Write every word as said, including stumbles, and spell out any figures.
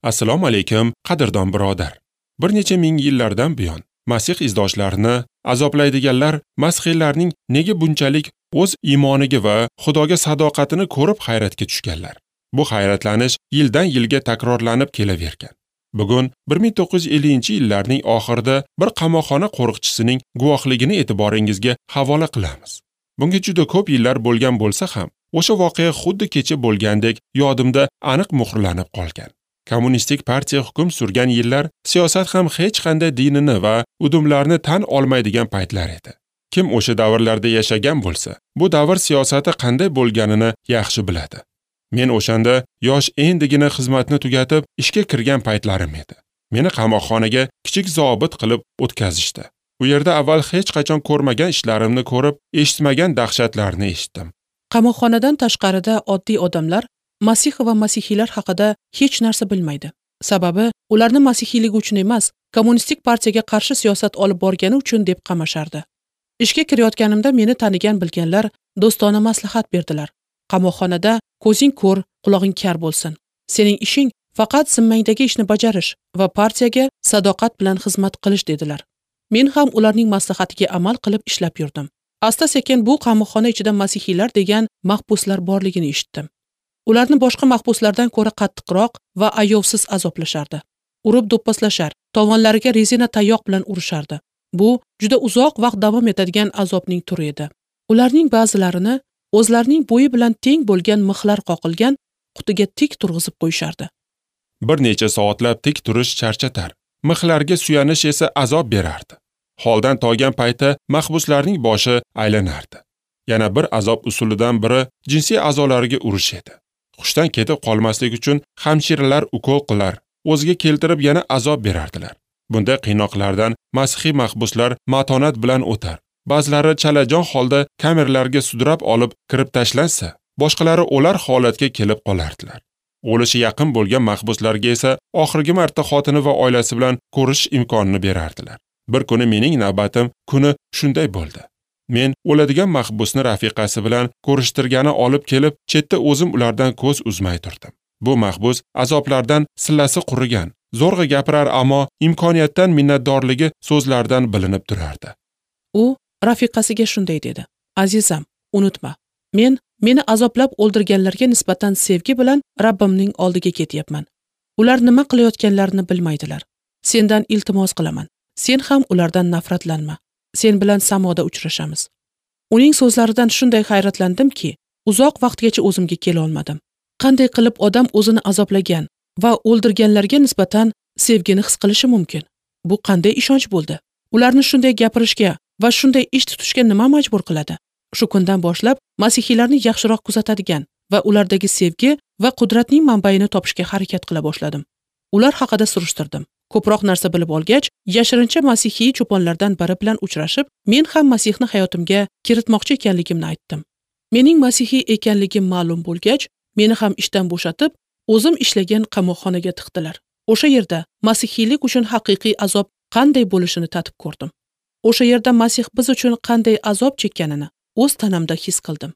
Assalomu alaykum, qadrdon birodar. Bir necha ming yillardan buyon Masih izdoshlarini azoblaydiganlar masihiylarning nega bunchalik o'z iymoniga va Xudoga sadoqatini ko'rib hayratga tushganlar. Bu hayratlanish yildan yilga takrorlanib kelavergan. Bugun bir ming to'qqiz yuz ellinchi yillarning oxirida bir qamoqxona qo'riqchisining guvohligini e'tiboringizga havola qilamiz. Bunga juda ko'p yillar bo'lgan bo'lsa ham, o'sha voqea xuddi kecha bo'lgandek yodimda aniq muhrlanib qolgan. Kommunistik partiya hukm surgan yillar siyosat ham hech qanday dinini va udumlarni tan olmaydigan paytlar edi. Kim o'sha davrlarda yashagan bo'lsa, bu davr siyosati qanday bo'lganini yaxshi biladi. Men o'shanda yosh endigina xizmatni tugatib ishga kirgan paytlarim edi. Meni qamoqxonaga kichik zobit qilib o'tkazishdi. U yerda avval hech qachon ko'rmagan ishlarimni ko'rib, eshitmagan dahshatlarni eshitdim. Qamoqxonadan tashqarida oddiy odamlar Masih va masihiylar haqida hech narsa bilmaydi. Sababi ularni masihiyligi uchun emas, kommunistik partiyaga qarshi siyosat olib borgani uchun deb qamashardi. Ishga kirayotganimda meni tanigan bilganlar do'stona maslahat berdilar. Qamoqxonada ko'zing ko'r, qulog'ing kar bo'lsin. Sening ishing faqat zimmangdagi ishni bajarish va partiyaga sadoqat bilan xizmat qilish dedilar. Men ham ularning maslahatiga amal qilib ishlab yurdim. Asta-sekin bu qamoqxona ichida masihiylar degan mahbuslar borligini eshitdim. Ularni boshqa mahbuslardan ko'ra qattiqroq va ayovsiz azoblashardi. Urib do'pposlashar, tovonlariga rezina tayoq bilan urishardi. Bu juda uzoq vaqt davom etadigan azobning turi edi. Ularning ba'zilarini o'zlarining bo'yi bilan teng bo'lgan mixlar qoqilgan qutiga tik turg'izib qo'yishardi. Bir necha soatlab tik turish charchatar, mixlarga suyanish esa azob berardi. Holdan toygan paytda mahbuslarning boshi aylanardi. Yana bir azob usulidan biri jinsiy a'zolariga urish edi. Hushdan ketib qolmaslik uchun hamshiralar ukol qilar, o'ziga keltirib yana azob berardilar. Bunday qiynoqlardan masihiy mahbuslar matonat bilan o'tar. Ba'zilari chalajon holda kameralarga sudrab olib kirib tashlansa, boshqalari o'lar holatga kelib qolardilar. O'lishi yaqin bo'lgan mahbuslarga esa oxirgi marta xotini va oilasi bilan ko'rish imkonini berardilar. Bir kuni mening navbatim kuni shunday bo'ldi. Men o'ladigan mahbusni rafiqasi bilan ko'rishtirgani olib kelib, chetda o'zim ulardan ko'z uzmay turdim. Bu mahbus azoblardan sillasi qurigan, zo'rg'a gapirar, ammo imkoniyatdan minnatdorligi so'zlardan bilinib turardi. U rafiqasiga shunday dedi: "Azizam, unutma, men meni azoblab o'ldirganlarga nisbatan sevgi bilan Rabbimning oldiga ketyapman. Ular nima qilayotganlarini bilmaydilar. Sendan iltimos qilaman. Sen ham ulardan nafratlanma. Sen bilan samoda uchrashamiz." Uning so'zlaridan shunday hayratlandimki, uzoq vaqtgacha o'zimga kela olmadim. Qanday qilib odam o'zini azoblagan va o'ldirganlarga nisbatan sevgini his qilishi mumkin? Bu qanday ishonch bo'ldi? Ularni shunday gapirishga va shunday ish tutishga nima majbur qiladi? Shu kundan boshlab masihiylarni yaxshiroq kuzatadigan va ulardagi sevgi va qudratning manbaini topishga harakat qila boshladim. Ular haqida surishtirdim. Ko'proq narsa bilib olgach, yashirincha masihiy cho'ponlardan biri bilan uchrashib, men ham Masihni hayotimga kiritmoqchi ekanligimni aytdim. Mening masihiy ekanligim ma'lum bo'lgach, meni ham ishdan bo'shatib, o'zim ishlagan qamoqxonaga tiqdilar. O'sha yerda masihiylik uchun haqiqiy azob qanday bo'lishini tatib ko'rdim. O'sha yerda Masih biz uchun qanday azob chekkanini o'z tanamda his qildim.